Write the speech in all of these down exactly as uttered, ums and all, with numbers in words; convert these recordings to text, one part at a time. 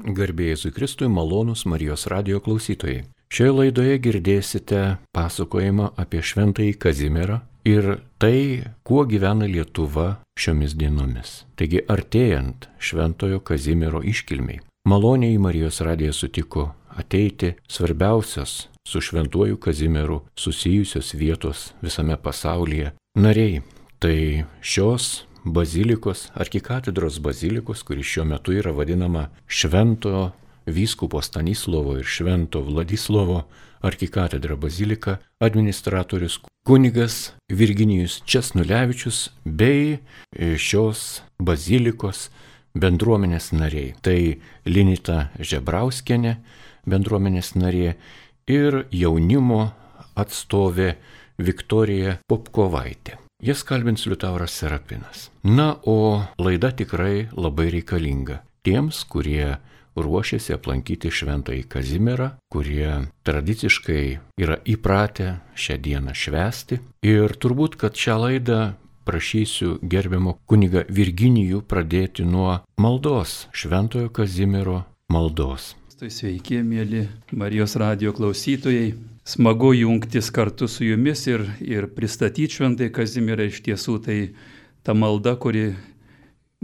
Garbė Jėzui Kristui, malonūs Marijos radijo klausytojai. Šioje laidoje girdėsite pasakojimą apie šventąjį Kazimierą ir tai, kuo gyvena Lietuva šiomis dienomis. Taigi, artėjant šventojo Kazimiero iškilmiai, maloniai Marijos radiją sutiko ateiti svarbiausios su šventuoju Kazimieru susijusios vietos visame pasaulyje nariai. Tai šios bazilikos, arkikatedros bazilikos, kuri šiuo metu yra vadinama Švento vyskupo Stanislovo ir Švento Vladislovo arkikatedra bazilika, administratorius kunigas Virginijus Česnulevičius bei šios bazilikos bendruomenės nariai. Tai Linita Žebrauskienė, bendruomenės narė, ir jaunimo atstovė Viktorija Popkovaitė. Jas kalbins Liutauras Serapinas. Na, o laida tikrai labai reikalinga tiems, kurie ruošiasi aplankyti šventąjį Kazimierą, kurie tradiciškai yra įpratę šią dieną švęsti. Ir turbūt, kad šią laidą prašysiu gerbiamo kuniga Virginijų pradėti nuo maldos, šventojo Kazimiero maldos. Sveiki, mėly Marijos radijo klausytojai. Smagu jungtis kartu su jumis ir, ir pristatyti šventąjį Kazimierą. Iš tiesų tai ta malda, kuri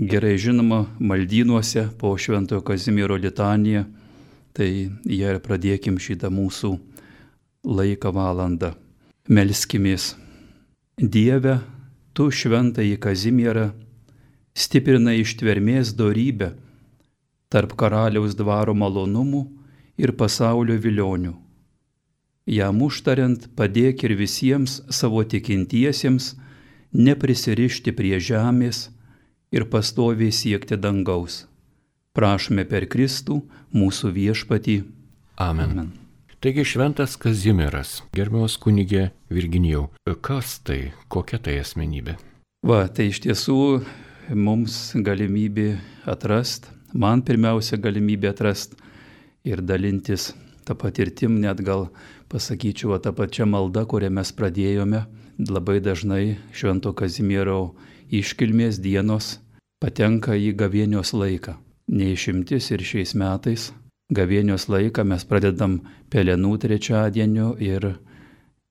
gerai žinoma maldynuose po šventojo Kazimiero litaniją. Tai ją ir pradėkim šitą mūsų laiką valandą. Melskimės. Dieve, tu šventąjį Kazimierą stiprina ištvermės dorybę tarp karaliaus dvaro malonumų ir pasaulio vilionių. Jam užtariant padėk ir visiems savo tikintiesiems neprisirišti prie žemės ir pastoviai siekti dangaus. Prašome per Kristų, mūsų viešpatį. Amen. Amen. Taigi šventas Kazimieras, gerbiamas kunigė Virginijau, kas tai, kokia tai asmenybė? Va, tai iš tiesų mums galimybė atrast, man pirmiausia galimybė atrast ir dalintis tą patirtim, net gal pasakyčiau, tą pačią maldą, kurią mes pradėjome. Labai dažnai švento Kazimiero iškilmės dienos patenka į gavėnios laiką. Neišimtis ir šiais metais gavėnios laiką mes pradedam pelenų trečiadienio ir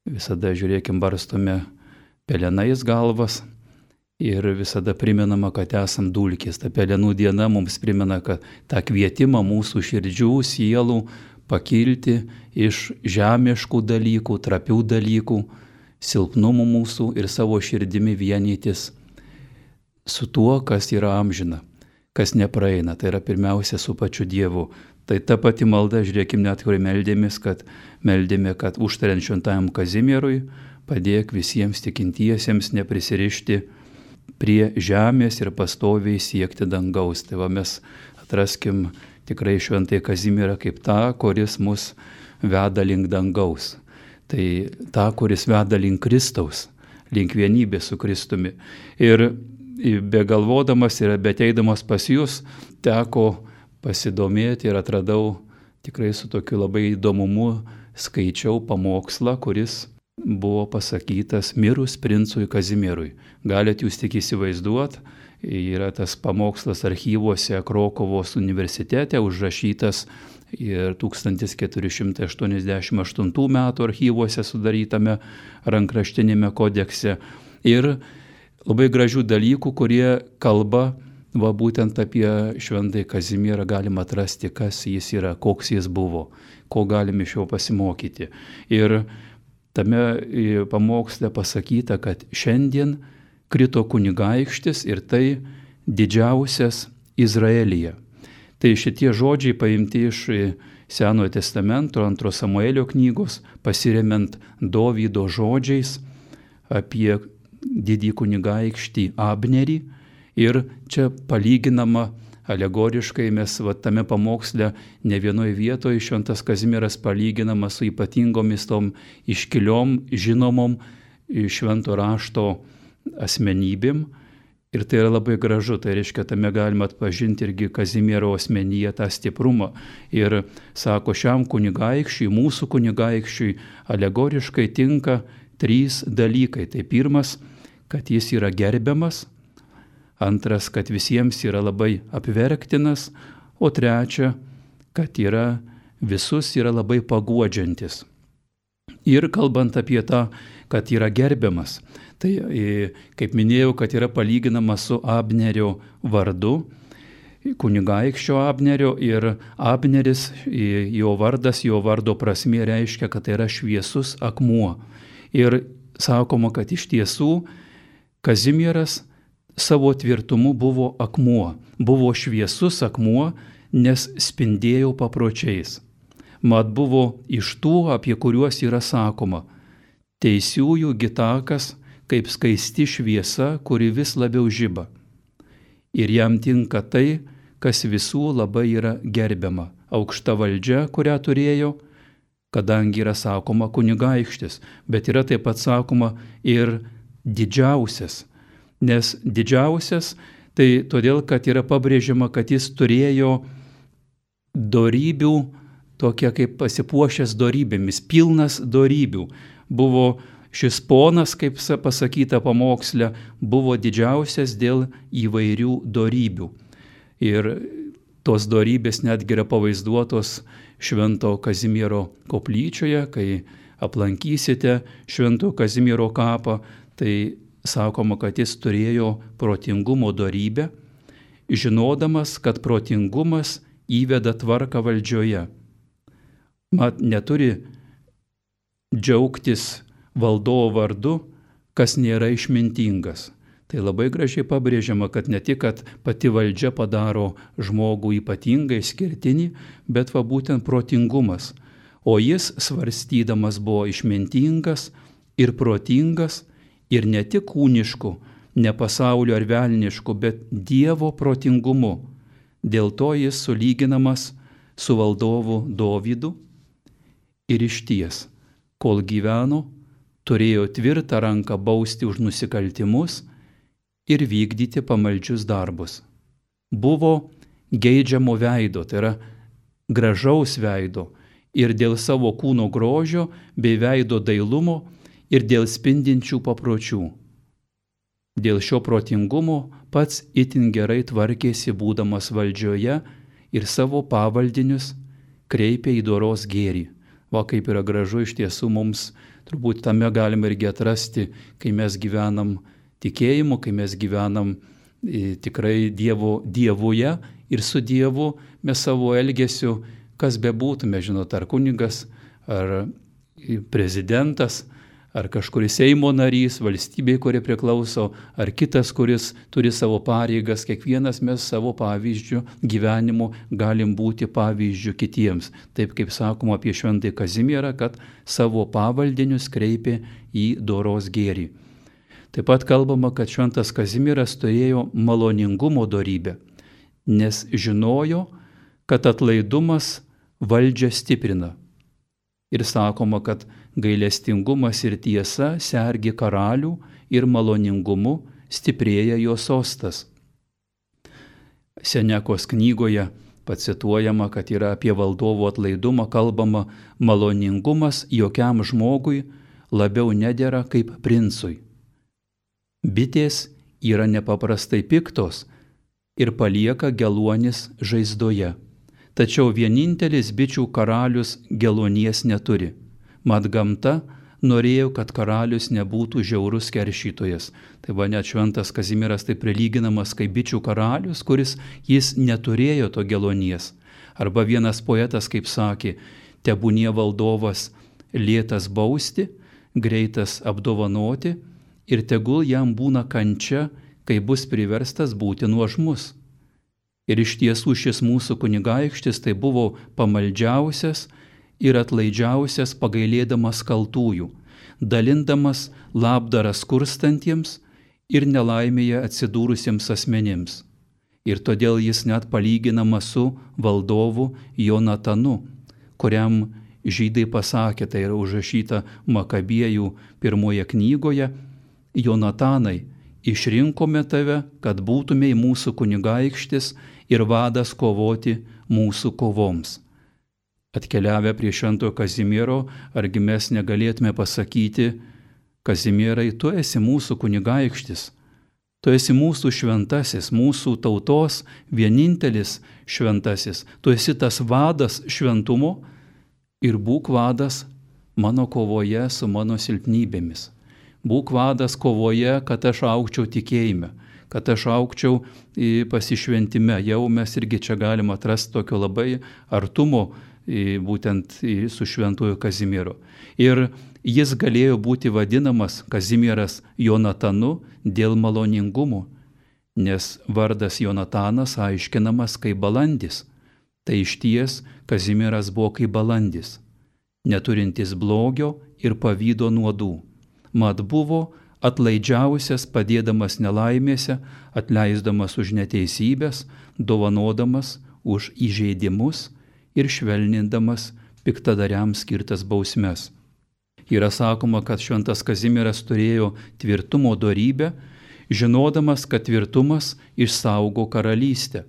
visada, žiūrėkim, barstome pelenais galvas ir visada primenama, kad esam dulkės. Ta pelenų diena mums primena, kad tą kvietimą mūsų širdžių, sielų pakilti iš žemiškų dalykų, trapių dalykų, silpnumų mūsų ir savo širdimi vienytis su tuo, kas yra amžina, kas nepraeina. Tai yra pirmiausia su pačiu Dievu. Tai ta pati malda, žiūrėkim, net kur meldėmės, kad meldėme, kad užtariant šventajam Kazimierui padėk visiems tikintiesiems neprisirišti prie žemės ir pastoviai siekti dangaus. Tai va mes atraskim tikrai šventąjį Kazimierą kaip tą, kuris mus veda link dangaus. Tai tą, kuris veda link Kristaus, link vienybės su Kristumi. Ir begalvodamas ir beteidamas pas jūs, teko pasidomėti ir atradau tikrai su tokiu labai įdomumu, skaičiau pamokslą, kuris buvo pasakytas mirus princui Kazimierui. Galit jūs tik įsivaizduoti, yra tas pamokslas archyvuose Krokuvos universitete užrašytas ir tūkstantis keturi šimtai aštuoniasdešimt aštuntų metų archyvuose sudarytame rankraštinėme kodekse. Ir labai gražių dalykų, kurie kalba va būtent apie šventąjį Kazimierą, galima atrasti, kas jis yra, koks jis buvo, ko galime iš jo pasimokyti. Ir tame pamoksle pasakyta, kad šiandien krito kunigaikštis ir tai didžiausias Izraelyje. Tai šitie žodžiai paimti iš Senojo testamento, antro Samuelio knygos, pasiremiant Dovydo žodžiais apie didį kunigaikštį Abnerį. Ir čia palyginama alegoriškai, mes va, tame pamoksle ne vienoje vietoje šventas Kazimieras palyginamas su ypatingomis tom iškiliom, žinomom švento rašto asmenybėm. Ir tai yra labai gražu, tai reiškia, tame galima atpažinti irgi Kazimiero asmenyje tą stiprumą. Ir sako, šiam kunigaikščiui, mūsų kunigaikščiui alegoriškai tinka trys dalykai. Tai pirmas, kad jis yra gerbiamas, antras, kad visiems yra labai apverktinas, o trečia, kad yra visus yra labai paguodžiantis. Ir kalbant apie tą, kad yra gerbiamas, tai kaip minėjau, kad yra palyginamas su Abnerio vardu, kunigaikščio Abnerio, ir Abneris, jo vardas, jo vardo prasmė reiškia, kad tai yra šviesus akmuo. Ir sakoma, kad iš tiesų Kazimieras savo tvirtumu buvo akmuo, buvo šviesus akmuo, nes spindėjo papročiais. Mat buvo iš tų, apie kuriuos yra sakoma, teisiųjų gitakas kaip skaisti šviesa, kuri vis labiau žiba. Ir jam tinka tai, kas visų labai yra gerbiama. Aukšta valdžia, kurią turėjo, kadangi yra sakoma kunigaikštis, bet yra taip pat sakoma ir didžiausias. Nes didžiausias, tai todėl, kad yra pabrėžiama, kad jis turėjo dorybių, tokia kaip pasipuošęs dorybėmis, pilnas dorybių. Buvo šis ponas, kaip pasakyta pamoksle, buvo didžiausias dėl įvairių dorybių. Ir tos dorybės netgi yra pavaizduotos Švento Kazimiero koplyčioje, kai aplankysite Švento Kazimiero kapą, tai sakoma, kad jis turėjo protingumo dorybę, žinodamas, kad protingumas įveda tvarką valdžioje. Mat neturi džiaugtis valdovo vardu, kas nėra išmintingas. Tai labai gražiai pabrėžiama, kad ne tik, kad pati valdžia padaro žmogų ypatingai išskirtinį, bet va būtent protingumas. O jis svarstydamas buvo išmintingas ir protingas ir ne tik kūnišku, ne pasaulio ar velnišku, bet Dievo protingumu. Dėl to jis sulyginamas su valdovu Dovydu. Ir išties, kol gyveno, turėjo tvirtą ranką bausti už nusikaltimus ir vykdyti pamaldžius darbus. Buvo geidžiamo veido, tai yra gražaus veido, ir dėl savo kūno grožio bei veido dailumo ir dėl spindinčių papročių. Dėl šio protingumo pats itin gerai tvarkėsi būdamas valdžioje ir savo pavaldinius kreipė į doros gėrį. Va kaip yra gražu iš tiesų mums, turbūt tame galime irgi atrasti, kai mes gyvenam tikėjimu, kai mes gyvenam e, tikrai dievo, dievuje ir su Dievu mes savo elgesiu, kas bebūtume, žinot, ar kunigas, ar prezidentas, ar kažkuris Seimo narys, valstybei, kuri priklauso, ar kitas, kuris turi savo pareigas, kiekvienas mes savo pavyzdžių gyvenimu galim būti pavyzdžių kitiems. Taip kaip sakoma apie Šventąjį Kazimierą, kad savo pavaldinius kreipė į doros gėrį. Taip pat kalbama, kad Šventas Kazimieras turėjo maloningumo dorybę, nes žinojo, kad atlaidumas valdžią stiprina. Ir sakoma, kad gailestingumas ir tiesa sergi karalių ir maloningumu stiprėja jo sostas. Senekos knygoje pacituojama, kad yra apie valdovo atlaidumą kalbama, maloningumas jokiam žmogui labiau nedera kaip princui. Bitės yra nepaprastai piktos ir palieka geluonis žaizdoje. Tačiau vienintelis bičių karalius geluonies neturi. Mat gamta norėjo, kad karalius nebūtų žiaurus keršytojas. Tai va net Šventas Kazimieras tai prilyginamas kaip bičių karalius, kuris jis neturėjo to geluonies. Arba vienas poetas kaip sakė, tebūnie valdovas lėtas bausti, greitas apdovanoti ir tegul jam būna kančia, kai bus priverstas būti nuožmus. Ir iš tiesų šis mūsų kunigaikštis tai buvo pamaldžiausias ir atlaidžiausias pagailėdamas kaltųjų, dalindamas labdarą skurstantiems ir nelaimėje atsidūrusiems asmenims. Ir todėl jis net palyginamas su valdovu Jonatanu, kuriam žydai pasakė, tai yra užrašyta Makabiejų pirmoje knygoje, Jonatanai, išrinkome tave, kad būtumei mūsų kunigaikštis ir vadas kovoti mūsų kovoms. Atkeliavę prie Šventojo Kazimiero, argi mes negalėtume pasakyti, Kazimierai, tu esi mūsų kunigaikštis, Tu esi mūsų šventasis, mūsų tautos vienintelis šventasis. Tu esi tas vadas šventumo ir būk vadas mano kovoje su mano silpnybėmis. Būk vadas kovoje, kad aš augčiau tikėjime, kad aš augčiau pasišventime. Jau mes irgi čia galim atrasti tokio labai artumo būtent su šventuoju Kazimieru. Ir jis galėjo būti vadinamas Kazimieras Jonatanu dėl maloningumo, nes vardas Jonatanas aiškinamas kaip balandis. Tai išties Kazimieras buvo kaip balandis, neturintis blogio ir pavydo nuodų. Mat buvo atlaidžiausias, padėdamas nelaimėse, atleisdamas už neteisybės, dovanodamas už įžeidimus ir švelnindamas piktadariams skirtas bausmes. Yra sakoma, kad šventas Kazimieras turėjo tvirtumo dorybę, žinodamas, kad tvirtumas išsaugo karalystę.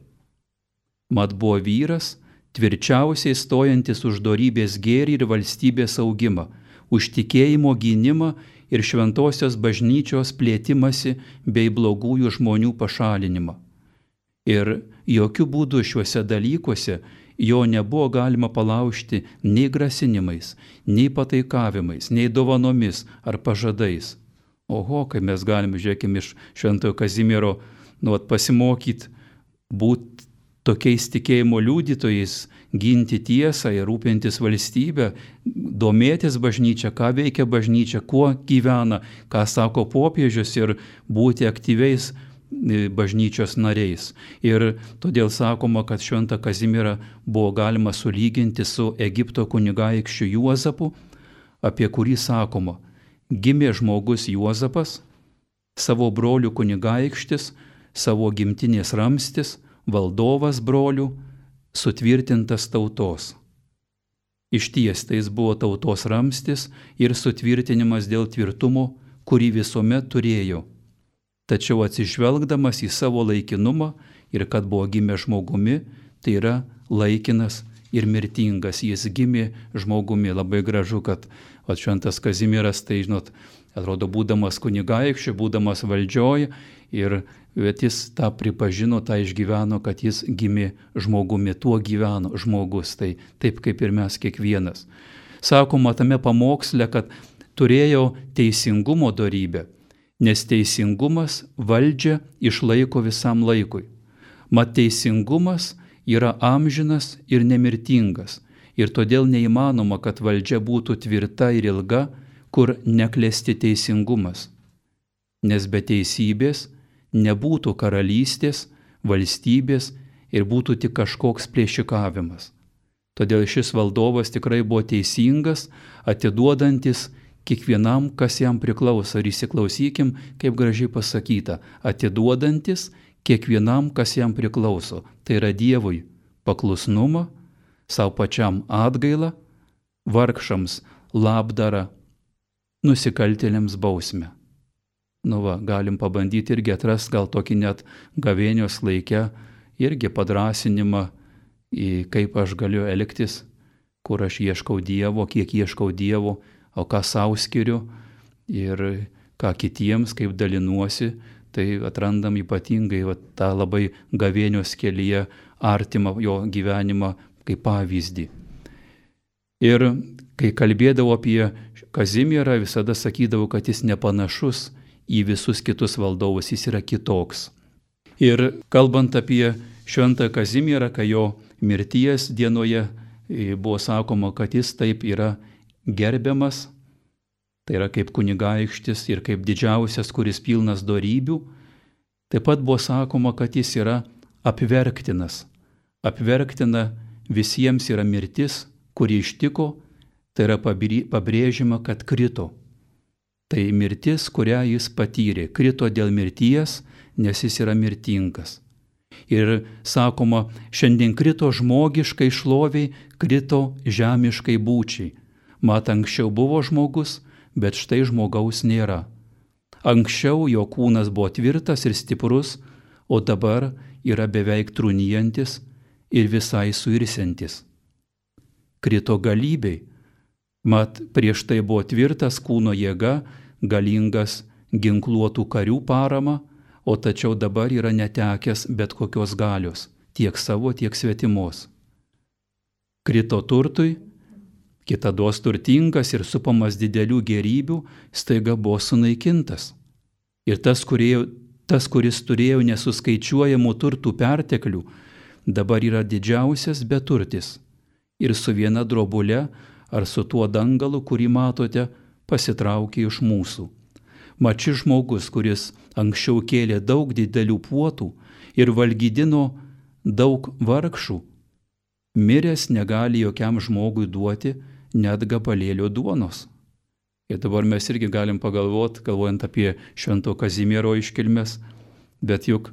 Mat buvo vyras, tvirčiausiai stojantis už dorybės gėrį ir valstybės augimą, už tikėjimo gynimą ir šventosios bažnyčios plėtimasi bei blogųjų žmonių pašalinimą. Ir jokių būdų šiuose dalykuose jo nebuvo galima palaužti nei grasinimais, nei pataikavimais, nei dovanomis ar pažadais. Oho, kai mes galime, žiūrėkime, iš šventojo Kazimiero nu, pasimokyti, būti tokiais tikėjimo liudytojais, ginti tiesą ir rūpintis valstybę, domėtis bažnyčia, ką veikia bažnyčia, kuo gyvena, ką sako popiežius ir būti aktyviais bažnyčios nariais. Ir todėl sakoma, kad šventą Kazimierą buvo galima sulyginti su Egipto kunigaikščiu Juozapu, apie kurį sakoma, gimė žmogus Juozapas, savo brolių kunigaikštis, savo gimtinės ramstis, valdovas brolių, sutvirtintas tautos. Išties tai jis buvo tautos ramstis ir sutvirtinimas dėl tvirtumo, kurį visuomet turėjo. Tačiau atsižvelgdamas į savo laikinumą ir kad buvo gimė žmogumi, tai yra laikinas ir mirtingas. Jis gimė žmogumi. Labai gražu, kad o, šventas Kazimieras, tai žinot, atrodo, būdamas kunigaikščiu, būdamas valdžioj, ir bet jis tą pripažino, tą išgyveno, kad jis gimė žmogumi, tuo gyveno žmogus, tai taip kaip ir mes kiekvienas. Sakoma tame pamoksle, kad turėjo teisingumo dorybę, nes teisingumas valdžią išlaiko visam laikui. Mat teisingumas yra amžinas ir nemirtingas, ir todėl neįmanoma, kad valdžia būtų tvirta ir ilga, kur neklesti teisingumas. Nes be teisybės nebūtų karalystės, valstybės ir būtų tik kažkoks plėšikavimas. Todėl šis valdovas tikrai buvo teisingas, atiduodantis kiekvienam, kas jam priklauso. Ir įsiklausykim, kaip gražiai pasakyta, atiduodantis kiekvienam, kas jam priklauso. Tai yra Dievui paklusnumą, savo pačiam atgailą, vargšams labdarą, nusikaltėliams bausmę. Nu va, galim pabandyti irgi atras gal tokį net gavėnios laikę, irgi padrasinimą, kaip aš galiu elgtis, kur aš ieškau Dievo, kiek ieškau Dievo, o ką sau skiriu ir ką kitiems, kaip dalinuosi, tai atrandam ypatingai va, tą labai gavėnios kelyje artimą jo gyvenimą kaip pavyzdį. Ir kai kalbėdavau apie Kazimierą, visada sakydavau, kad jis nepanašus į visus kitus valdovus, jis yra kitoks. Ir kalbant apie šventą Kazimierą, kai jo mirties dienoje buvo sakoma, kad jis taip yra gerbiamas, tai yra kaip kunigaikštis ir kaip didžiausias, kuris pilnas dorybių. Taip pat buvo sakoma, kad jis yra apverktinas. Apverktina visiems yra mirtis, kuri ištiko, tai yra pabrėžima, kad krito. Tai mirtis, kurią jis patyrė, krito dėl mirties, nes jis yra mirtingas. Ir sakoma, šiandien krito žmogiškai šloviai, krito žemiškai būčiai. Mat, anksčiau buvo žmogus, bet štai žmogaus nėra. Anksčiau jo kūnas buvo tvirtas ir stiprus, o dabar yra beveik trūnijantis ir visai suirsiantis. Krito galybei. Mat, prieš tai buvo tvirtas kūno jėga, galingas ginkluotų karių parama, o tačiau dabar yra netekęs bet kokios galios, tiek savo, tiek svetimos. Krito turtui, kitados turtingas ir supamas didelių gėrybių, staiga buvo sunaikintas. Ir tas, kurie, tas kuris turėjo nesuskaičiuojamų turtų perteklių, dabar yra didžiausias beturtis ir su viena drobule ar su tuo dangalu, kurį matote, pasitraukė iš mūsų. Mat šis žmogus, kuris anksčiau kėlė daug didelių puotų ir valgydino daug vargšų, miręs negali jokiam žmogui duoti net gabalėlio duonos. Ir dabar mes irgi galim pagalvoti, galvojant apie Švento Kazimiero iškilmes, bet juk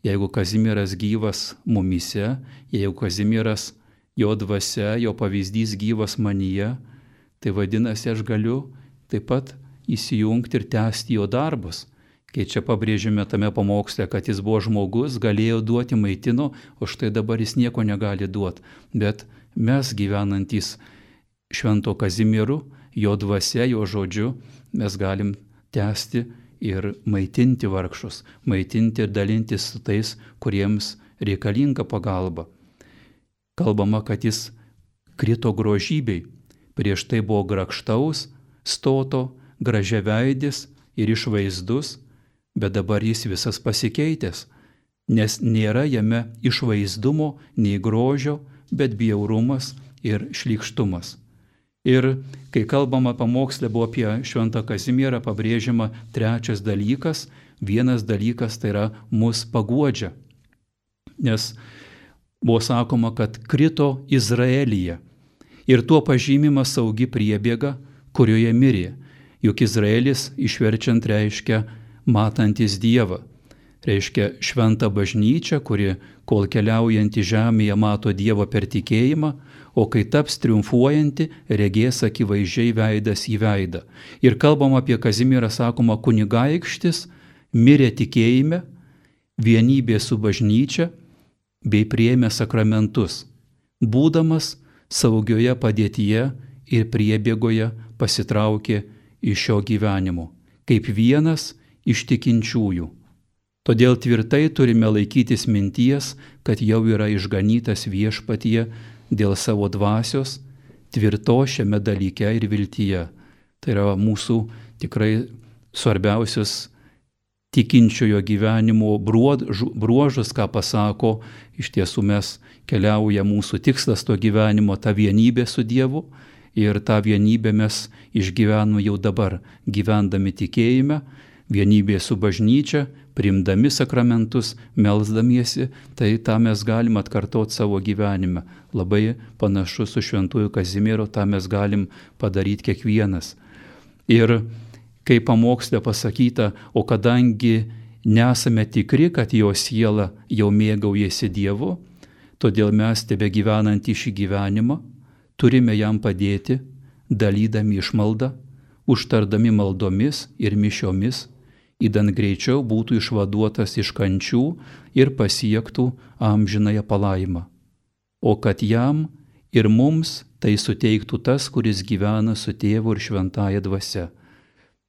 jeigu Kazimieras gyvas mumyse, jeigu Kazimieras jo dvasia, jo pavyzdys gyvas manyje, tai vadinasi, aš galiu taip pat įsijungti ir tęsti jo darbus. Kai čia pabrėžime tame pamoksle, kad jis buvo žmogus, galėjo duoti, maitino, o štai dabar jis nieko negali duoti. Bet mes gyvenantys Švento Kazimieru, jo dvasia, jo žodžiu, mes galim tęsti ir maitinti vargšus, maitinti ir dalintis su tais, kuriems reikalinga pagalba. Kalbama, kad jis krito grožybei, prieš tai buvo grakštaus, stoto, gražiaveidis ir išvaizdus, bet dabar jis visas pasikeitęs, nes nėra jame išvaizdumo nei grožio, bet bjaurumas ir šlykštumas. Ir kai kalbama pamokslė buvo apie Šventą Kazimierą, pabrėžiama trečias dalykas, vienas dalykas tai yra mus paguodžia. Nes buvo sakoma, kad krito Izraelyje ir tuo pažymima saugi priebėga, kurioje mirė. Juk Izraelis išverčiant reiškia matantis Dievą. Reiškia šventą bažnyčią, kuri kol keliaujanti žemėje mato Dievą per tikėjimą, o kai taps triumfuojanti, regės akivaizdžiai veidas į veidą. Ir kalbam apie Kazimierą, sakoma, kunigaikštis mirė tikėjime, vienybė su bažnyčia, bei priėmė sakramentus, būdamas saugioje padėtyje ir priebėgoje pasitraukė iš šio gyvenimo, kaip vienas iš tikinčiųjų. Todėl tvirtai turime laikytis minties, kad jau yra išganytas viešpatyje dėl savo dvasios, tvirto šiame dalyke ir viltyje. Tai yra mūsų tikrai svarbiausias tikinčiojo gyvenimo bruožas, ką pasako, iš tiesų mes keliauja mūsų tikslas to gyvenimo, ta vienybė su Dievu, ir tą vienybę mes išgyvename jau dabar, gyvendami tikėjime, vienybė su bažnyčia, priimdami sakramentus, melsdamiesi, tai tą mes galim atkartoti savo gyvenime. Labai panašu su Šventuoju Kazimieru, tą mes galim padaryti kiekvienas. Ir kai pamoksle pasakyta, o kadangi nesame tikri, kad jo siela jau mėgaujasi Dievu, todėl mes tebe gyvenantį šį gyvenimą turime jam padėti, dalydami išmaldą, užtardami maldomis ir mišiomis, įdant greičiau būtų išvaduotas iš kančių ir pasiektų amžinąją palaimą. O kad jam ir mums tai suteiktų tas, kuris gyvena su Tėvu ir šventąja dvasia.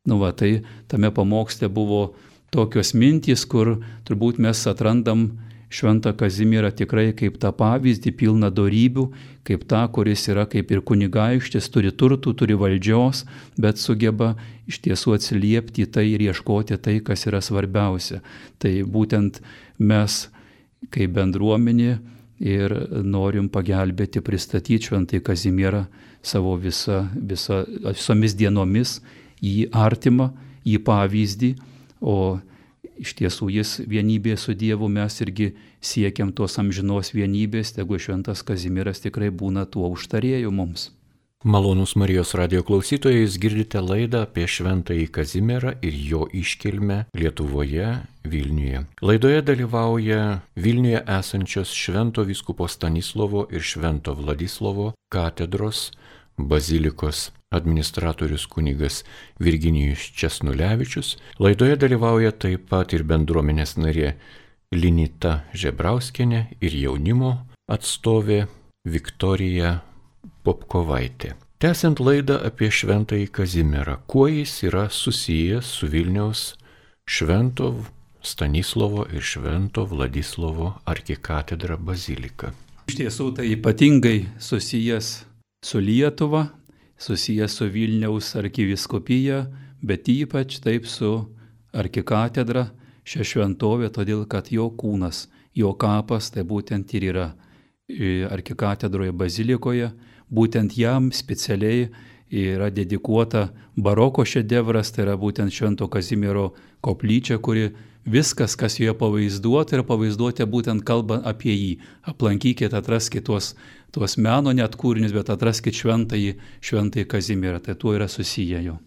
Nu va, tai tame pamoksle buvo tokios mintys, kur turbūt mes atrandam Šventą Kazimierą tikrai kaip tą pavyzdį, pilną dorybių, kaip tą, kuris yra kaip ir kunigaikštis, turi turtų, turi valdžios, bet sugeba iš tiesų atsiliepti į tai ir ieškoti tai, kas yra svarbiausia. Tai būtent mes kaip bendruomenė ir norim pagelbėti, pristatyti Šventąjį Kazimierą savo visa, visa, visomis dienomis, į artimą, į pavyzdį, o iš tiesų jis vienybė su Dievu, mes irgi siekiam tos amžinos vienybės, tegu Šventas Kazimieras tikrai būna tuo užtarėju mums. Malonūs Marijos radijo klausytojai, jūs girdite laidą apie Šventąjį Kazimierą ir jo iškilmę Lietuvoje, Vilniuje. Laidoje dalyvauja Vilniuje esančios Švento vyskupo Stanislovo ir Švento Vladislovo katedros bazilikos administratorius kunigas Virginijus Česnulevičius. Laidoje dalyvauja taip pat ir bendruomenės narė Linita Žebrauskienė ir jaunimo atstovė Viktorija Popkovaitė. Tęsiant laidą apie Šventąjį Kazimierą, kuo jis yra susijęs su Vilniaus Švento Stanislovo ir Švento Vladislovo arkikatedra bazilika. Iš tiesų tai ypatingai susijęs su Lietuva, susijęs su Vilniaus arkivyskupija, bet ypač taip su arkikatedra, šią šventovę, todėl kad jo kūnas, jo kapas tai būtent ir yra arkikatedroje bazilikoje, būtent jam specialiai yra dedikuota baroko šedevras, tai yra būtent Švento Kazimiero koplyčia, kuri viskas, kas joje pavaizduota, yra pavaizduoti būtent kalba apie jį. Aplankykite, atraskite tuos, tuos meno net kūrinius, bet atraskite šventąjį, šventąjį Kazimierą, tai tuo yra susiję jo.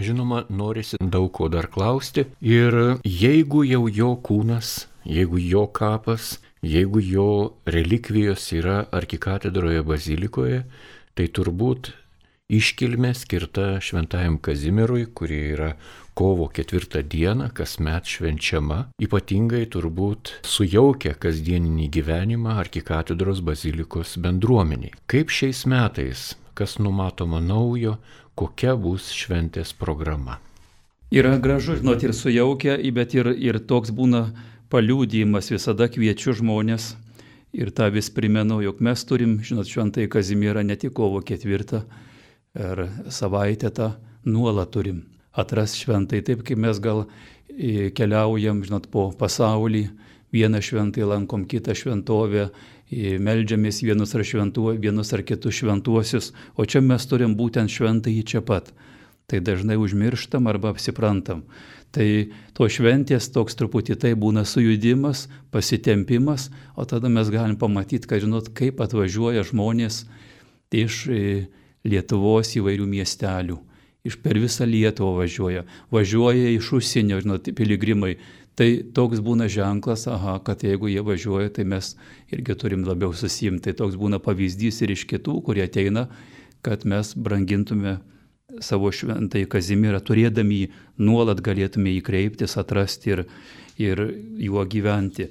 Žinoma, norisi daug ko dar klausti ir jeigu jau jo kūnas, jeigu jo kapas, jeigu jo relikvijos yra arkikatedroje bazilikoje, tai turbūt iškilmė skirta Šventajam Kazimierui, kuri yra kovo ketvirtą dieną, kasmet švenčiama, ypatingai turbūt sujaukia kasdieninį gyvenimą arkikatedros bazilikos bendruomeniai. Kaip šiais metais, kas numatoma naujo, kokia bus šventės programa? Yra gražu, žinot, ir sujaukia, bet ir, ir toks būna paliudijimas, visada kviečiu žmonės ir tą vis primenu, jog mes turim, žinot, Šventąjį Kazimierą ne tik kovo ketvirtą ar savaitę tą nuolat turim atrasti šventai, taip kaip mes gal keliaujam, žinot, po pasaulį, vieną šventai lankom, kitą šventovę, meldžiamės vienus ar, šventuo, vienus ar kitus šventuosius, o čia mes turim būtent šventąjį čia pat. Tai dažnai užmirštam arba apsiprantam. Tai to šventės toks truputį tai būna sujudimas, pasitempimas, o tada mes galim pamatyti, kad, žinot, kaip atvažiuoja žmonės iš Lietuvos įvairių miestelių. Iš per visą Lietuvą važiuoja. Važiuoja iš užsienio, žinot, piligrimai. Tai toks būna ženklas, aha, kad jeigu jie važiuoja, tai mes irgi turim labiau susiimti. Tai toks būna pavyzdys ir iš kitų, kurie ateina, kad mes brangintume savo Šventąjį Kazimierą, turėdami jį, nuolat galėtume jį kreiptis, atrasti ir, ir juo gyventi.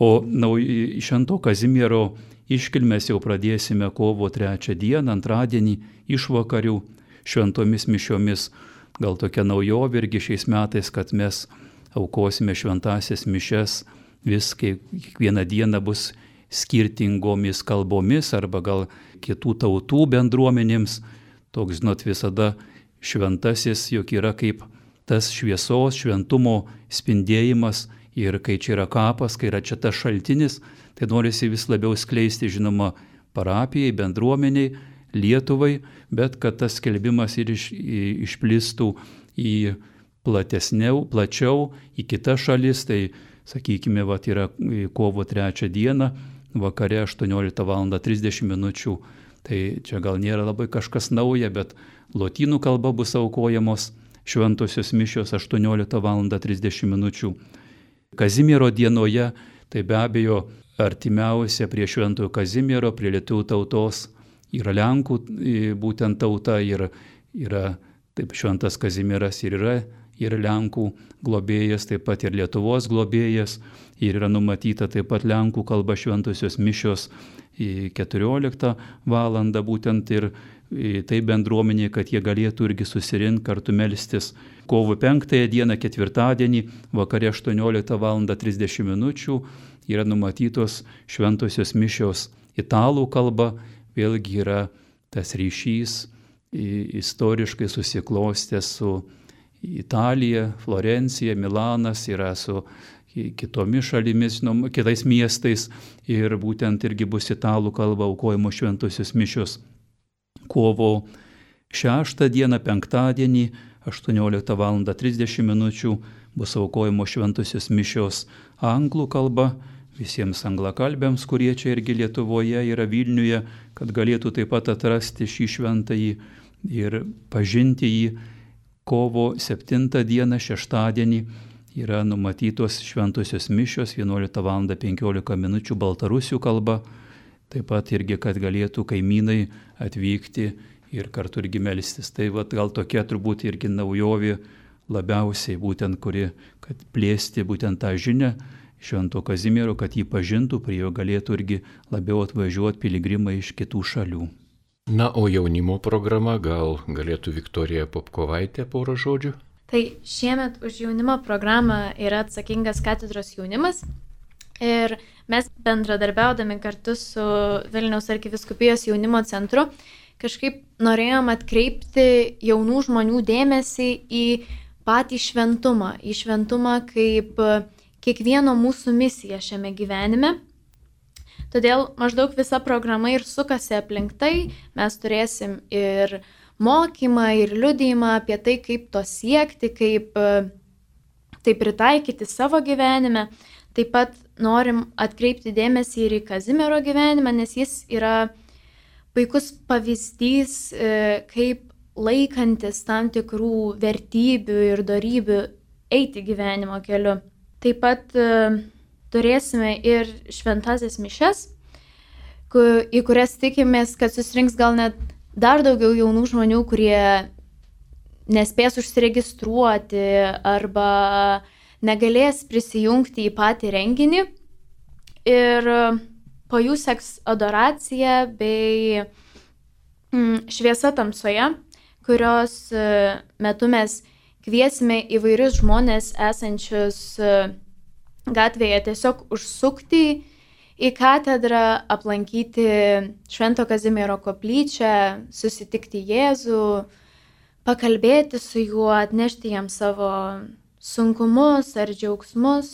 O nau, Švento Kazimiero iškilmes jau pradėsime kovo trečią dieną, antradienį, išvakarių šventomis mišiomis. Gal tokia naujovė irgi šiais metais, kad mes aukosime šventasias mišias, vis kiekvieną dieną bus skirtingomis kalbomis arba gal kitų tautų bendruomenėms. Toks, žinot, visada šventasis, juk yra kaip tas šviesos, šventumo spindėjimas ir kai čia yra kapas, kai yra čia tas šaltinis, tai norisi vis labiau skleisti, žinoma, parapijai, bendruomeniai, Lietuvai, bet kad tas skelbimas ir iš, išplistų į platesniau, plačiau, į kitas šalis, tai, sakykime, vat, yra kovo trečią dieną, vakare aštuonioliktą valandą trisdešimt minučių. Tai čia gal nėra labai kažkas nauja, bet lotynų kalba bus aukojamos šventosios mišios aštuonioliktą valandą trisdešimt minučių. Kazimiero dienoje, tai be abejo artimiausia prie Šventojo Kazimiero, prie lietuvių tautos yra Lenkų būtent tauta ir yra, taip, Šventas Kazimieras ir yra ir Lenkų globėjas, taip pat ir Lietuvos globėjas, ir yra numatyta taip pat Lenkų kalba šventosios mišios keturioliktą valandą būtent ir tai bendruomenė, kad jie galėtų irgi susirinkti kartu melstis. Kovo penktąją dieną, ketvirtadienį, vakare aštuonioliktą valandą trisdešimt minučių yra numatytos šventosios mišios italų kalba, vėlgi yra tas ryšys istoriškai susiklostęs su Italija, Florencija, Milanas, yra su kitomis šalimis, žinom, kitais miestais ir būtent irgi bus italų kalba aukojimo šventosios mišios. Kovo šeštą dieną, penktadienį, aštuonioliktą valandą trisdešimt minučių bus aukojimo šventosios mišios anglų kalba, visiems anglakalbėms, kurie čia irgi Lietuvoje yra Vilniuje, kad galėtų taip pat atrasti šį šventąjį ir pažinti jį. Kovo septintą dieną, šeštadienį, yra numatytos šventosios mišios vienuoliktą valandą penkiolika minučių baltarusių kalba, taip pat irgi, kad galėtų kaimynai atvykti ir kartu irgi melstis. Tai vat, gal tokia turbūt irgi naujovė labiausiai, būtent kuri, kad plėsti būtent tą žinią Švento Kazimiero, kad jį pažintų, prie jo galėtų irgi labiau atvažiuoti piligrimai iš kitų šalių. Na, o jaunimo programa, gal galėtų Viktorija Popkovaitė porą žodžių? Tai šiemet už jaunimo programą yra atsakingas katedros jaunimas ir mes bendradarbiaudami kartu su Vilniaus arkivyskupijos jaunimo centru kažkaip norėjom atkreipti jaunų žmonių dėmesį į patį šventumą, į šventumą kaip kiekvieno mūsų misija šiame gyvenime. Todėl maždaug visa programa ir sukasi aplink tai, mes turėsim ir mokymą, ir liudijimą apie tai, kaip to siekti, kaip tai pritaikyti savo gyvenime. Taip pat norim atkreipti dėmesį ir į Kazimiero gyvenimą, nes jis yra puikus pavyzdys, kaip laikantis tam tikrų vertybių ir dorybių eiti gyvenimo keliu. Taip pat turėsime ir šventasias mišias, į kurias tikimės, kad susirinks gal net dar daugiau jaunų žmonių, kurie nespės užsiregistruoti arba negalės prisijungti į patį renginį. Ir po jų seks adoracija bei šviesa tamsoje, kurios metu mes kviesime įvairius žmonės esančius gatvėje tiesiog užsukti į katedrą, aplankyti Švento Kazimiero koplyčią, susitikti Jėzų, pakalbėti su juo, atnešti jam savo sunkumus ar džiaugsmus.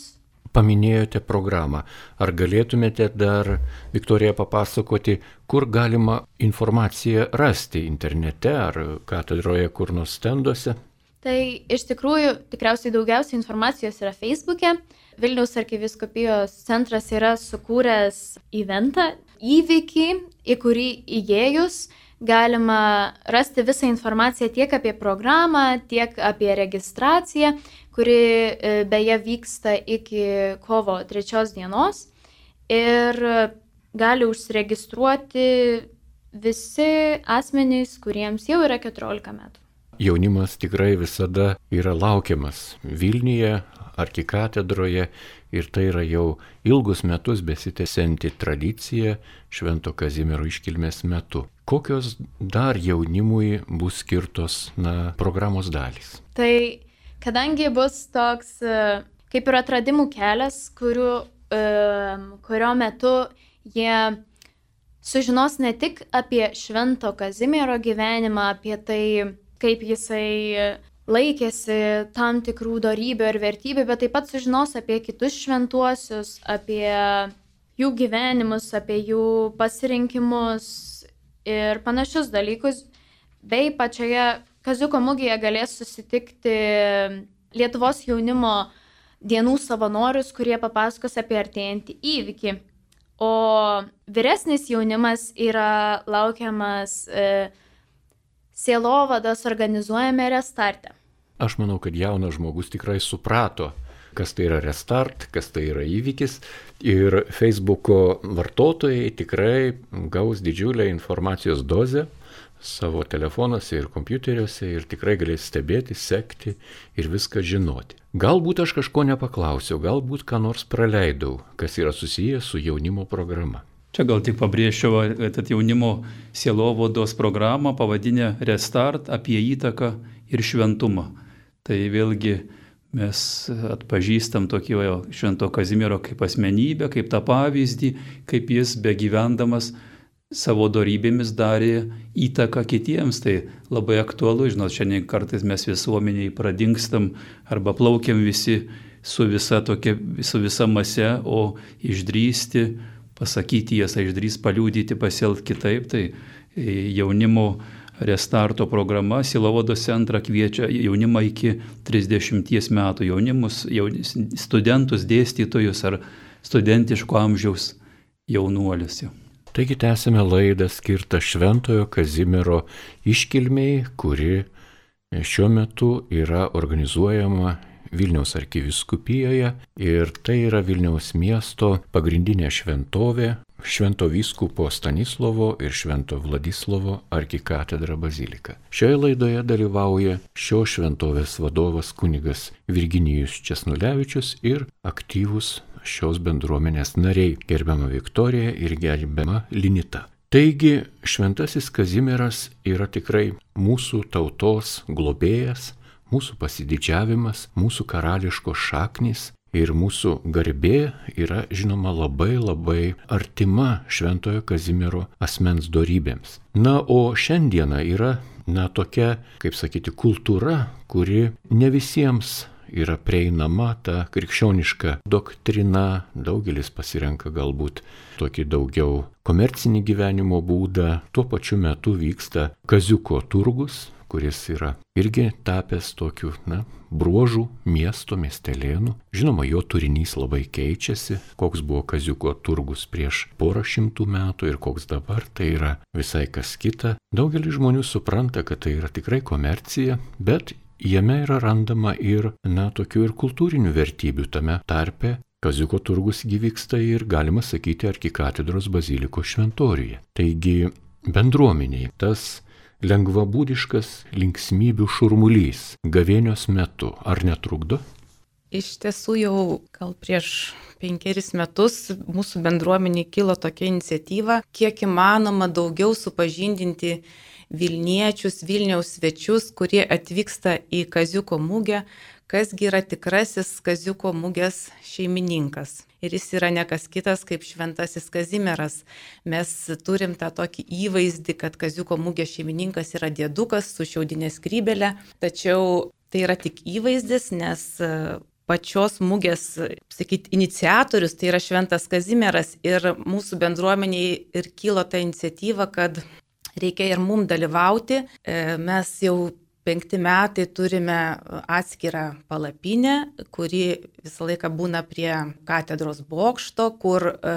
Paminėjote programą. Ar galėtumėte dar, Viktorija, papasakoti, kur galima informaciją rasti internete ar katedroje kur nors stenduose? Tai iš tikrųjų tikriausiai daugiausiai informacijos yra Facebook'e. Vilniaus arkivyskupijos centras yra sukūręs eventą, įvykį, į kurį įėjus galima rasti visą informaciją tiek apie programą, tiek apie registraciją, kuri beje vyksta iki kovo trečios dienos ir gali užsiregistruoti visi asmenys, kuriems jau yra keturiolika metų. Jaunimas tikrai visada yra laukiamas Vilniuje, arkikatedroje ir tai yra jau ilgus metus besitęsianti tradicija Švento Kazimiero iškilmės metu. Kokios dar jaunimui bus skirtos na, programos dalys? Tai kadangi bus toks kaip ir atradimų kelias, kurių, kurio metu jie sužinos ne tik apie Švento Kazimiero gyvenimą, apie tai, kaip jisai laikėsi tam tikrų dorybių ir vertybių, bet taip pat sužinos apie kitus šventuosius, apie jų gyvenimus, apie jų pasirinkimus ir panašius dalykus, bei pačioje Kaziuko mugėje galės susitikti Lietuvos jaunimo dienų savanorius, kurie papasakos apie artėjantį įvykį. O vyresnis jaunimas yra laukiamas e, sielovados organizuojame Restarte. Aš manau, kad jaunas žmogus tikrai suprato, kas tai yra Restart, kas tai yra įvykis ir Facebooko vartotojai tikrai gaus didžiulę informacijos dozę savo telefonuose ir kompiuteriuose ir tikrai galės stebėti, sekti ir viską žinoti. Galbūt aš kažko nepaklausiau, galbūt ką nors praleidau, kas yra susijęs su jaunimo programa. Čia gal tik pabrėžčiau, kad jaunimo sielovados programą pavadinę Restart apie įtaką ir šventumą. Tai vėlgi mes atpažįstam tokį Švento Kazimiero kaip asmenybę, kaip tą pavyzdį, kaip jis begyvendamas savo dorybėmis darė įtaką kitiems. Tai labai aktualu, žinot, šiandien kartais mes visuomeniai pradingstam arba plaukiam visi su visa, tokia, su visa mase, o išdrįsti, pasakyti tiesą, išdrįsti paliudyti, pasielgti kitaip. Tai jaunimo Restarto programa Sielovados centrą kviečia jaunimą iki trisdešimties metų, jaunimus, jaunis, studentus, dėstytojus ar studentiško amžiaus jaunuolius. Taigi tęsime laidą skirtą Šventojo Kazimiero iškilmei, kuri šiuo metu yra organizuojama Vilniaus arkivyskupijoje ir tai yra Vilniaus miesto pagrindinė šventovė, Švento vyskupo Stanislovo ir Švento Vladislovo arkikatedra bazilika. Šioje laidoje dalyvauja šios šventovės vadovas kunigas Virginijus Česnulevičius ir aktyvus šios bendruomenės nariai, gerbiama Viktorija ir gerbiama Linita. Taigi, Šventasis Kazimieras yra tikrai mūsų tautos globėjas, mūsų pasididžiavimas, mūsų karališkos šaknys. Ir mūsų garbė yra, žinoma, labai labai artima Šventojo Kazimiero asmens dorybėms. Na, o šiandiena yra, na, tokia, kaip sakyti, kultūra, kuri ne visiems yra prieinama, ta krikščioniška doktrina. Daugelis pasirenka galbūt tokį daugiau komercinį gyvenimo būdą. Tuo pačiu metu vyksta Kaziuko turgus, kuris yra irgi tapęs tokiu, na, bruožų miesto, miestelėnų. Žinoma, jo turinys labai keičiasi, koks buvo Kaziuko turgus prieš porą šimtų metų ir koks dabar, tai yra visai kas kita. Daugelis žmonių supranta, kad tai yra tikrai komercija, bet jame yra randama ir, na, tokių ir kultūrinių vertybių tame tarpe. Kaziuko turgus vyksta ir, galima sakyti, arkikatedros bazilikos šventoriuje. Taigi, bendruomeniai tas lengvabūdiškas linksmybių šurmulys gavėnios metu, ar netrukdo? Iš tiesų jau gal prieš penkeris metus mūsų bendruomeniai kilo tokia iniciatyva, kiek įmanoma daugiau supažindinti Vilniečius, Vilniaus svečius, kurie atvyksta į Kaziuko mugę, kasgi yra tikrasis Kaziuko mugės šeimininkas. Ir jis yra ne kas kitas kaip Šventasis Kazimieras. Mes turim tą tokį įvaizdį, kad Kaziuko mugės šeimininkas yra diedukas su šiaudinė skrybelė, tačiau tai yra tik įvaizdis, nes pačios mugės, sakyti, iniciatorius tai yra Šventas Kazimieras ir mūsų bendruomeniai ir kilo ta iniciatyva, kad reikia ir mum dalyvauti. Mes jau penkti metai turime atskirą palapinę, kuri visą laiką būna prie katedros bokšto, kur e,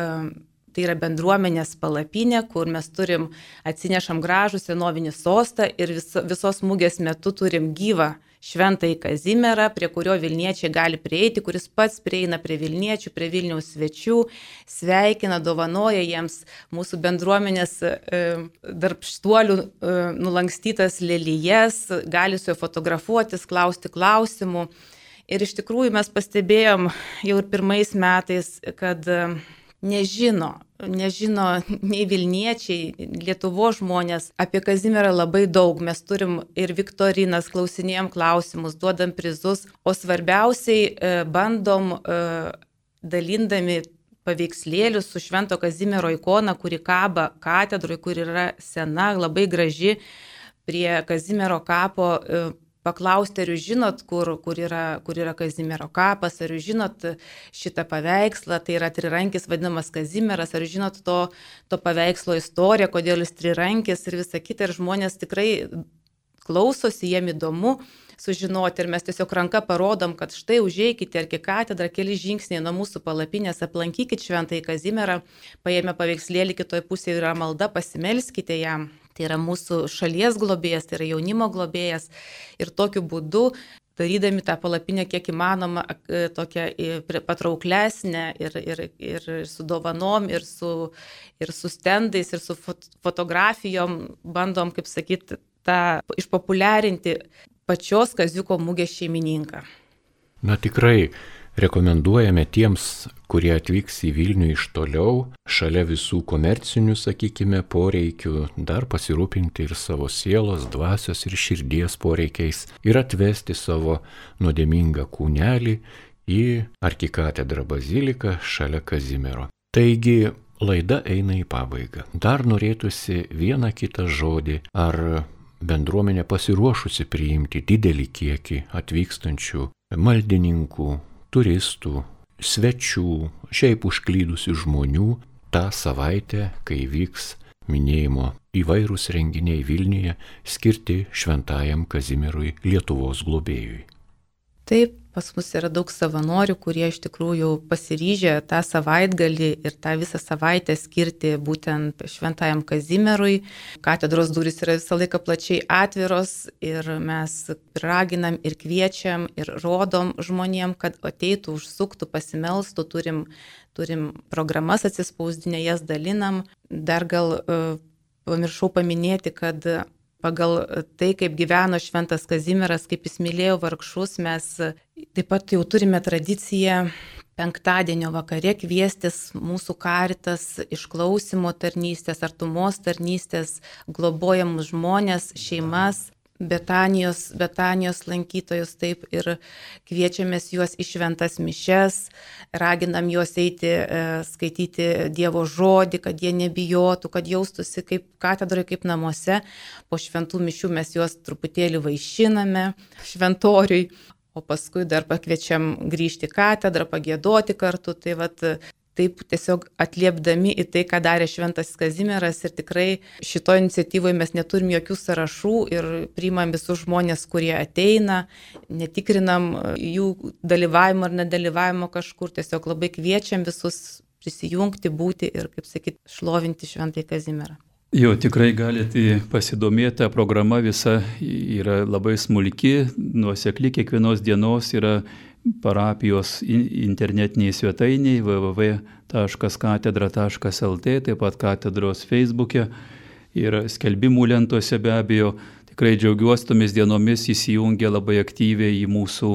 tai yra bendruomenės palapinė, kur mes turim, atsinešam gražų senovinį sostą ir vis, visos mugės metu turim gyvą Šventąjį Kazimierą, prie kurio Vilniečiai gali prieiti, kuris pats prieina prie Vilniečių, prie Vilniaus svečių, sveikina, dovanoja jiems mūsų bendruomenės e, darbštuolių e, nulankstytas lelijas, gali su juo fotografuotis, klausti klausimų. Ir iš tikrųjų mes pastebėjom jau ir pirmais metais, kad e, nežino, nežino nei Vilniečiai, Lietuvos žmonės apie Kazimierą labai daug. Mes turim ir viktorinas, klausinėjom klausimus, duodam prizus, o svarbiausiai bandom dalindami paveikslėlius su Švento Kazimiero ikona, kuri kaba katedroje, kur yra sena, labai graži, prie Kazimiero kapo. Paklausti, ar jūs žinot, kur, kur, yra, kur yra Kazimiero kapas, ar jūs žinot šitą paveikslą, tai yra trirankis vadinamas Kazimieras, ar jūs žinot to, to paveikslo istoriją, kodėl jis trirankis ir visa kita. Ir žmonės tikrai klausosi, jiem įdomu sužinoti ir mes tiesiog ranka parodom, kad štai užeikite arkikatedrą, keli žingsniai nuo mūsų palapinės, aplankykite Šventąjį Kazimierą, paėmę paveikslėlį, kitoje pusėje yra malda, pasimelskite jam. Tai yra mūsų šalies globėjas, tai yra jaunimo globėjas ir tokiu būdu, darydami tą palapinę kiek įmanoma tokią patrauklesnę ir, ir, ir su dovanom, ir su, ir su stendais, ir su fotografijom, bandom, kaip sakyti, tą išpopuliarinti pačios Kaziuko mugės šeimininką. Na tikrai rekomenduojame tiems, kurie atvyks į Vilnių iš toliau, šalia visų komercinių, sakykime, poreikių, dar pasirūpinti ir savo sielos, dvasios ir širdies poreikiais ir atvesti savo nuodėmingą kūnelį į arkikatedrą baziliką šalia Kazimiero. Taigi, laida eina į pabaigą. Dar norėtųsi vieną kitą žodį, ar bendruomenė pasiruošusi priimti didelį kiekį atvykstančių maldininkų, turistų, svečių, šiaip užklydusių žmonių tą savaitę, kai vyks minėjimo įvairūs renginiai Vilniuje skirti Šventajam Kazimierui, Lietuvos globėjui. Taip, pas mus yra daug savanorių, kurie iš tikrųjų pasiryžę tą savaitgalį ir tą visą savaitę skirti būtent Šventajam Kazimierui. Katedros durys yra visą laiką plačiai atviros ir mes raginam ir kviečiam ir rodom žmonėm, kad ateitų, užsuktų, pasimelstų, turim, turim programas atsispausdinę, jas dalinam. Dar gal uh, pamiršau paminėti, kad pagal tai, kaip gyveno Šventas Kazimieras, kaip jis mylėjo vargšus, mes taip pat jau turime tradiciją penktadienio vakare kviestis mūsų karitas išklausimo tarnystės, artumos tarnystės, globojamus žmonės, šeimas, Betanijos, Betanijos lankytojus, taip, ir kviečiamės juos į šventas mišias, raginam juos eiti, skaityti Dievo žodį, kad jie nebijotų, kad jaustųsi kaip katedroje, kaip namuose. Po šventų mišių mes juos truputėlį vaišiname šventoriui, o paskui dar pakviečiam grįžti į katedrą, pagiedoti kartu. Tai vat, taip tiesiog atliepdami į tai, ką darė šventas Kazimieras, ir tikrai šito iniciatyvoje mes neturim jokių sąrašų ir priimam visus žmonės, kurie ateina, netikrinam jų dalyvavimo ar nedalyvavimo kažkur, tiesiog labai kviečiam visus prisijungti, būti ir, kaip sakyt, šlovinti šventąjį Kazimierą. Jo, tikrai galite pasidomėti, programa visa yra labai smulki, nuosekli, kiekvienos dienos yra parapijos internetiniai svetainiai w w w taškas katedra taškas l t, taip pat katedros Facebook'e ir skelbimų lentose be abejo. Tikrai džiaugiuosi tomis dienomis, įsijungia labai aktyviai į mūsų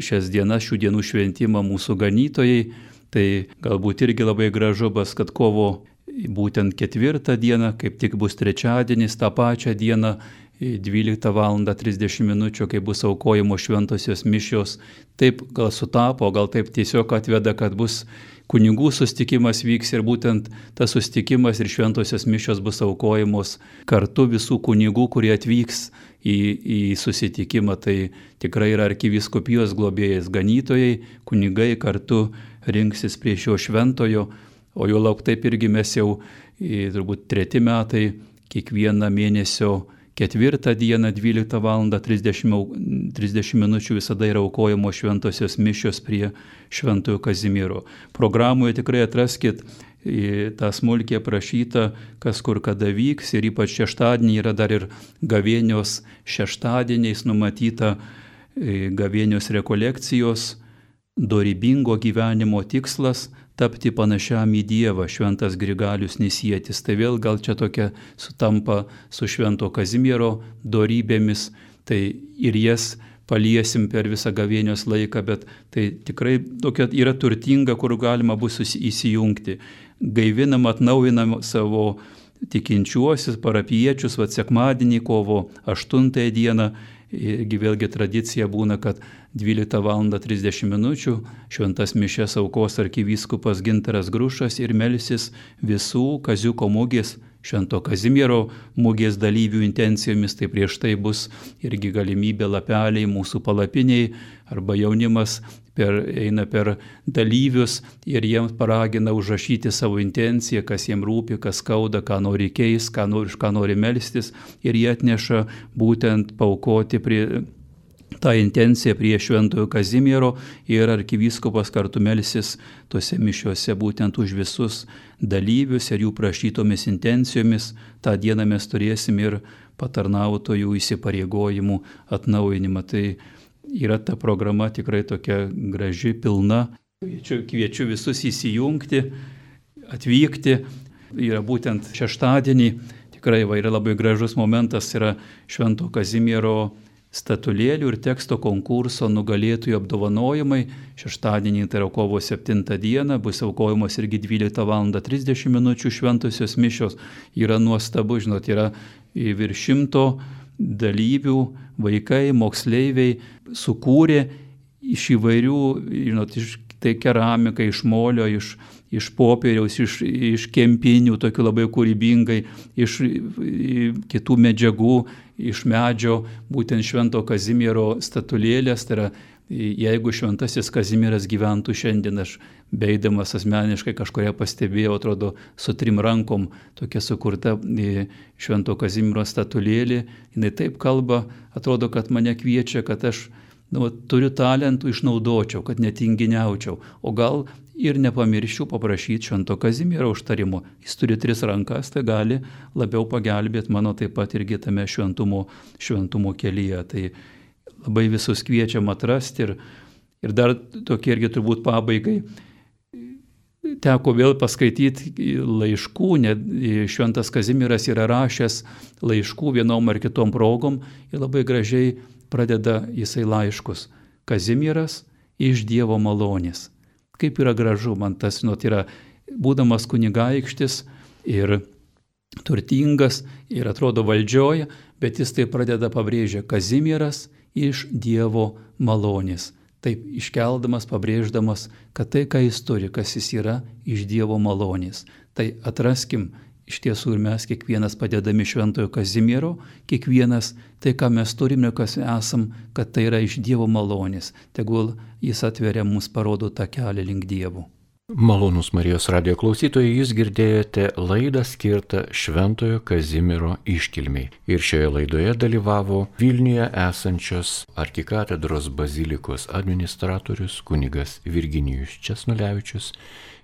šias dienas, šių dienų šventimą mūsų ganytojai. Tai galbūt irgi labai gražu bus, kad kovo būtent ketvirtą dieną, kaip tik bus trečiadienis, tą pačią dieną, dvyliktą valandą trisdešimt minučių, kai bus aukojimo šventosios mišios. Taip gal sutapo, gal taip tiesiog atveda, kad bus kunigų susitikimas vyks ir būtent tas susitikimas ir šventosios mišios bus aukojamos kartu visų kunigų, kurie atvyks į, į susitikimą. Tai tikrai yra arkivyskupijos globėjas ganytojai, kunigai kartu rinksis prie šio šventojo, o jo lauk taip irgi mes jau turbūt treti metai kiekvieną mėnesio ketvirtą dieną, dvyliktą valandą trisdešimt minučių visada yra aukojamo šventosios mišios prie Šventojo Kazimiero. Programoje tikrai atraskit tą smulkiai aprašytą, kas kur kada vyks, ir ypač šeštadienį yra dar ir gavėnios šeštadieniais numatyta gavėnios rekolekcijos, dorybingo gyvenimo tikslas tapti panašiam į Dievą, šventas Grigalius Nisietis. Tai vėl gal čia tokia sutampa su Švento Kazimiero dorybėmis, tai ir jas paliesim per visą gavėnios laiką, bet tai tikrai tokia yra turtinga, kur galima bus įsijungti. Gaivinam, atnaujinam savo tikinčiuosius, parapiečius, vat sekmadienį, kovo aštuntąją dieną. Irgi vėlgi tradicija būna, kad dvyliktą valandą trisdešimt minučių šventas mišias aukos arkivyskupas Gintaras Grušas ir melsis visų Kaziuko mugės, Švento Kazimiero mugės dalyvių intencijomis. Tai prieš tai bus irgi galimybė lapeliai mūsų palapiniai, arba jaunimas per, eina per dalyvius ir jiems paragina užrašyti savo intenciją, kas jiems rūpi, kas skauda, ką nori keis, ką nori, ką nori melstis, ir jie atneša būtent paukoti prie tą intenciją prie Šventojo Kazimiero, ir arkivyskupas kartu melsis tose mišiuose būtent už visus dalyvius ir jų prašytomis intencijomis. Ta diena mes turėsim ir patarnautojų įsipareigojimų atnaujinimą. Tai yra ta programa tikrai tokia graži, pilna. Kviečiu, kviečiu visus įsijungti, atvykti. Yra būtent šeštadienį, tikrai va, yra labai gražus momentas, yra Švento Kazimiero statulėlių ir teksto konkurso nugalėtojų apdovanojimai. Šeštadienį, tai yra kovo septintą dieną, bus aukojamos irgi dvyliktą valandą trisdešimt minučių šventosios mišios. Yra nuostabu, žinot, yra virš šimto dalyvių, vaikai, moksleiviai sukūrė iš įvairių, žinot, iš tai keramika, iš molio, iš, iš popieriaus, iš, iš kempinių, tokių labai kūrybingai, iš kitų medžiagų, iš medžio, būtent Švento Kazimiero statulėlės. Tai yra, jeigu šventasis Kazimieras gyventų šiandien, aš beidamas asmeniškai kažkuria pastebėjau, atrodo, su trim rankom tokia sukurta Švento Kazimiero statulėlė. Jis taip kalba, atrodo, kad mane kviečia, kad aš nu, turiu talentų, išnaudočiau, kad netinginiaučiau. O gal ir nepamirščiau paprašyti Švento Kazimiero užtarimo. Jis turi tris rankas, tai gali labiau pagelbėti mano taip pat irgi tame šventumo, šventumo kelyje. Tai labai visus kviečiam atrasti. Ir, ir dar tokie irgi turbūt pabaigai. Teko vėl paskaityti laiškų, net Šventas Kazimieras yra rašęs laiškų vienom ar kitom progom ir labai gražiai pradeda jisai laiškus. Kazimieras iš Dievo malonės. Kaip yra gražu, man tas, žinot, yra būdamas kunigaikštis ir turtingas ir atrodo valdžioje, bet jis tai pradeda pabrėžę Kazimieras iš Dievo malonės. Taip iškeldamas, pabrėždamas, kad tai, ką jis turi, kas jis yra, iš Dievo malonės. Tai atraskim iš tiesų ir mes kiekvienas padedami Šventojo Kazimiero, kiekvienas tai, ką mes turime, kas esam, kad tai yra iš Dievo malonės. Tegul jis atveria mums, parodo tą kelią link Dievo. Malonūs Marijos radijo klausytojai, jūs girdėjote laidą skirtą Šventojo Kazimiero iškilmei. Ir šioje laidoje dalyvavo Vilniuje esančios arkikatedros bazilikos administratorius kunigas Virginijus Česnulevičius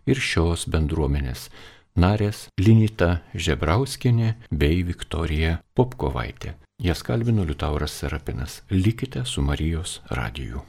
ir šios bendruomenės narės Linita Žebrauskienė bei Viktorija Popkovaitė. Jas kalbino Liutauras Serapinas. Likite su Marijos radiju.